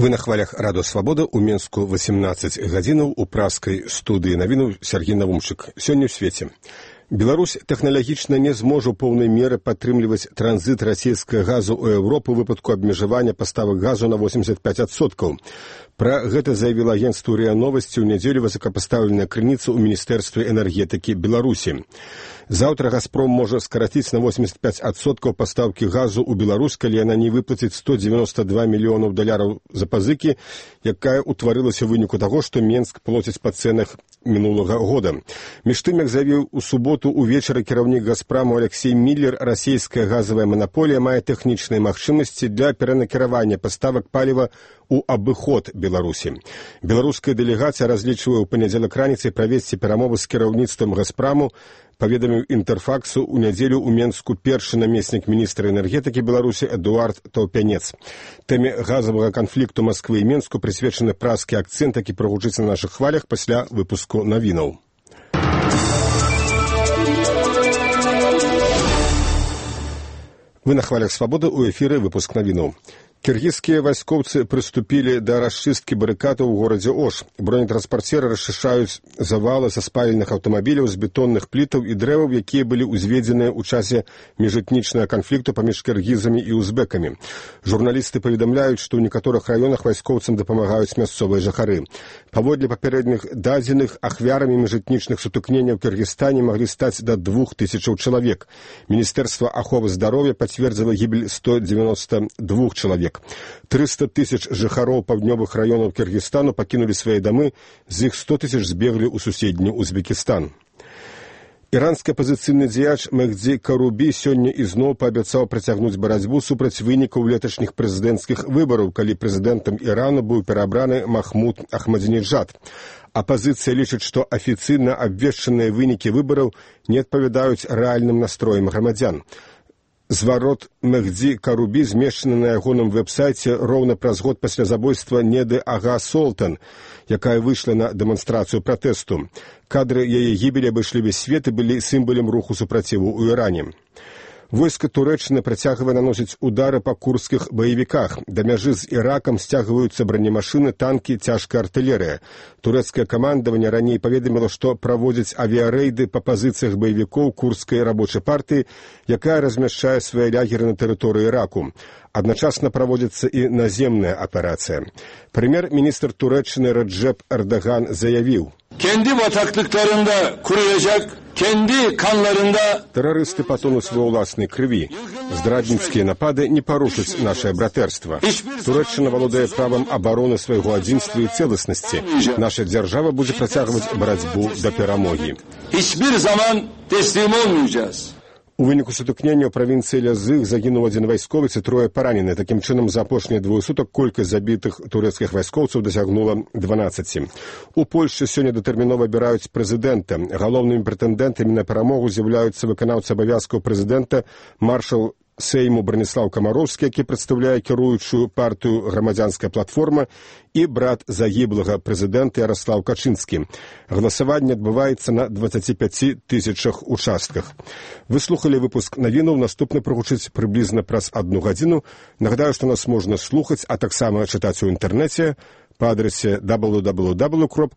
Вы на хвалях Радио Свобода, у Менску 18 гадзінаў, у праскай студыі навіну Сергей Навумчык. Сёння ў свеце. Беларусь тэхналагічна не зможа ў поўнай меры падтрымліваць транзіт расійскага газу ў Еўропу ў выпадку абмежавання паставак газу на 85%. Пра гэта заявіла агенцтву РИА Новости ў нядзелю высокапастаўленая крыніца ў Міністэрстве энергетыкі Беларусі. Заўтра «Газпром» можа скараціць на 85% пастаўкі газу ў Беларусь, калі яна не выплаціць $192 мільёнаў за пазыкі, якая ўтварылася ў выніку таго, што Менск плоціць па цэнах мінулага года. Між тым, як заявіў у суботу увечары кіраўнік «Газпраму» Алексей Миллер, расійская газавая манаполія мае тэхнічныя магчымасці для перанакіравання паставак паліва у абыход Беларусі. Беларуская дэлегацыя разлічвае ў панядзелак раніцай правесці перамовы з кіраўніцтвам «Газпраму», паведаміў Інтэрфаксу ў нядзелю ў Менску першы намеснік міністра энергетыкі Беларусі Эдуард Таўпянец. Тэме газавага канфлікту Масквы і Менску прысвечаны праскі акцэнт, які прагучыць на нашых хвалях пасля выпуску навінаў. Вы на хвалях Свободы, у эфіры выпуск навінаў. Кіргізскія вайскоўцы прыступілі да расчысткі барыкадаў у горадзе Ош. Бронетранспарцеры расчышчаюць завалы са спаленых аўтамабіляў з бетонных плітаў і дрэваў, якія былі ўзведзеныя ў часе міжэтнічнага канфлікту паміж кіргізамі і узбекамі. Журналісты паведамляюць, што ў некаторых раёнах вайскоўцам дапамагаюць мясцовыя жыхары. Паводле папярэдніх дадзеных, ахвярамі міжэтнічных сутыкненняў ў Кіргізстане маглі стаць да 2000 чалавек. Міністэрства аховы здароўя пацвердзіла гібель 192 чалавек. 300 тысяч жыхароў паўднёвых раёнаў Кіргізстану пакінулі свае дамы, з іх 100 тысяч збеглі ў суседні Узбекістан. Іранскі апазіцыйны дзеяч Мехді Карубі сёння ізноў паабяцаў працягнуць барацьбу супраць вынікаў леташніх прэзідэнцкіх выбараў, калі прэзідэнтам Ірану быў пераабраны Махмуд Ахмадзінеджад. Апазіцыя лічыць, што афіцыйна абвешчаныя вынікі выбараў не адпавядаюць рэальным настроям грамадзян. Зварот Мехді Карубі змешчаны на ягоным вэб-сайце роўна праз год пасля забойства Неды Ага Солтан, якая выйшла на дэманстрацыю пратэсту. Кадры яе гібелі абышлі весь свет і былі сімвалам руху супраціву ў Іране. Войска Турэччыны працягвае наносіць удары па курдскіх баевіках. Да мяжы з Іракам сцягваюцца бронемашыны, танкі, цяжкая артылерыя. Турэцкае камандаванне раней паведаміла, што праводзіць авіярэйды па пазіцыях баевікоў курдскай рабочай партыі, якая размяшчае свае лягеры на тэрыторыі Іраку. Адначасна праводзіцца і наземная аперацыя. Прэм'ер-міністр Турэччыны Реджеп Эрдоган заявіў: «Kendi bataklıklarında kuruyacak, kendi kanlarında...» Тэрарысты патонуць ва ўласнай крыві. Здрадніцкія напады не парушаць нашае братэрства. Турэччына валодае правам абароны свайго адзінства і цэласнасці. Наша дзяржава будзе працягваць барацьбу да перамогі. Hiçbir zaman teslim olmayacağız. У выніку сутыкнення ў правінцыі Лязых загінуў адзін вайсковец і трое паранены. Такім чынам, за апошнія двое сутак колькасць забітых турэцкіх вайскоўцаў дасягнула 12. У Польшчы сёння датэрмінова абіраюць прэзідэнта. Галоўнымі прэтэндэнтамі на перамогу з'яўляюцца выканаўца абавязкаў прэзідэнта, маршал Сейму Браніслаў Камароўскі, які прадстаўляе кіруючую партыю «Грамадзянская платформа», і брат загіблага прэзідэнта Яраслаў Качынскі. Галасаванне адбываецца на 25 тысячах участках. Вы слухалі выпуск навінаў, наступны прагучыць прыблізна праз 1 гадзіну. Нагадаю, што нас можна слухаць, а таксама чытаць у інтэрнэце па адрасе www.swobodna.org.